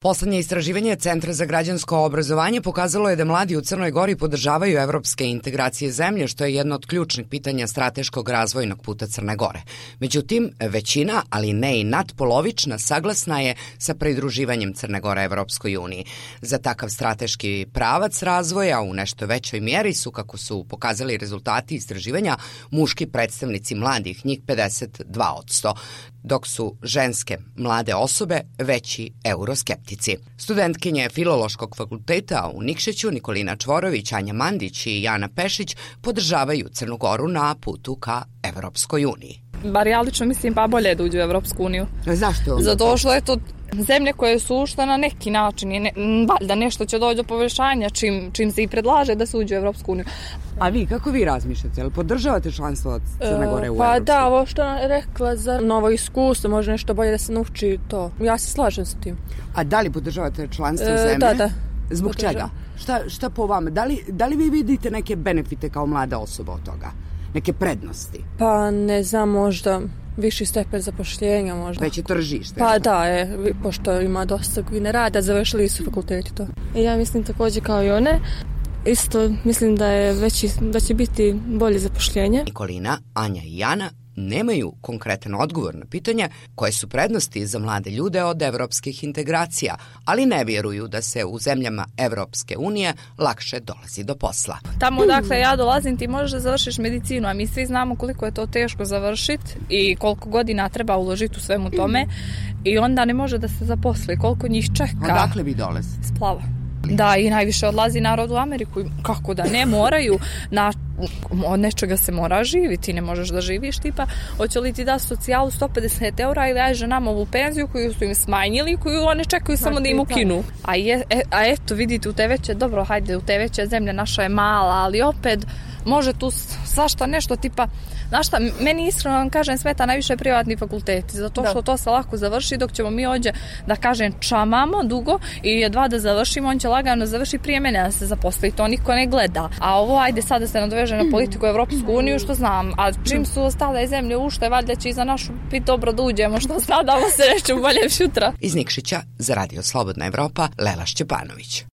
Poslednje istraživanje Centra za građansko obrazovanje pokazalo je da mladi u Crnoj Gori podržavaju evropske integracije zemlje, što je jedno od ključnih pitanja strateškog razvojnog puta Crne Gore. Međutim, većina, ali ne i nadpolovična, saglasna je sa pridruživanjem Crne Gore Evropskoj uniji. Za takav strateški pravac razvoja u nešto većoj mjeri su, kako su pokazali rezultati istraživanja, muški predstavnici mladih, njih 52%, dok su ženske mlade osobe veći euroskeptici. Studentkinje Filološkog fakulteta u Nikšiću Nikolina Čvorović, Anja Mandić i Jana Pešić podržavaju Crnu Goru na putu ka Evropskoj uniji. Bar ja lično mislim pa bolje da uđu u Evropsku uniju. Zašto? Zato što je to zemlje koje su ušle na neki način i valjda nešto će doći do poboljšanja čim se i predlaže da se uđe u Evropsku uniju. A vi, kako vi razmišljate? Jel podržavate članstvo od Crne Gore u Pa Evropskoj? Da, ovo što je rekla za novo iskustvo, može nešto bolje da se nauči to. Ja se slažem s tim. A da li podržavate članstvo zemlje? Da. Zbog čega? Šta po vama? Da li vi vidite neke benefite kao mlada osoba od toga? Neke prednosti? Pa ne znam, možda viši stepen zapošljenja možda. Veće tržište? Pa da, pošto ima dosta koji ne rada, završili su fakulteti to. Ja mislim također kao i one. Isto mislim da će biti bolje zapošljenje. Nikolina, Anja i Jana nemaju konkretan odgovor na pitanje koje su prednosti za mlade ljude od evropskih integracija, ali ne vjeruju da se u zemljama Evropske unije lakše dolazi do posla. Tamo odakle ja dolazim ti možeš da završiš medicinu, a mi svi znamo koliko je to teško završiti i koliko godina treba uložiti u svemu tome i onda ne može da se zaposli, koliko njih čeka. Odakle vi dolazite? Splava. Da, i najviše odlazi narod u Ameriku. Kako da ne, moraju od nečega se mora živiti, ne možeš da živiš tipa, hoće li ti da socijalu 150 eura ili aj ženama ovu penziju koju su im smanjili, koju one čekaju samo da im ukinu. A eto, vidite, u te veće, dobro, hajde, u te veće zemlje naša je mala, ali opet može tu svašta nešto tipa. Znaš šta, meni iskreno vam kažem smeta najviše privatni fakulteti, zato što to se lako završi, dok ćemo mi ovdje, da kažem, čamamo dugo i jedva da završimo, on će lagano završi prije mene da se zaposli, to niko ne gleda. A ovo, ajde sad da se nadoveže na politiku Evropsku uniju, što znam, a čim su ostale zemlje ušle, valjda će i za našu biti dobro da uđemo, što nadamo se reći bolje sutra. Iz Nikšića za Radio Slobodna Evropa, Lela Šćepanović.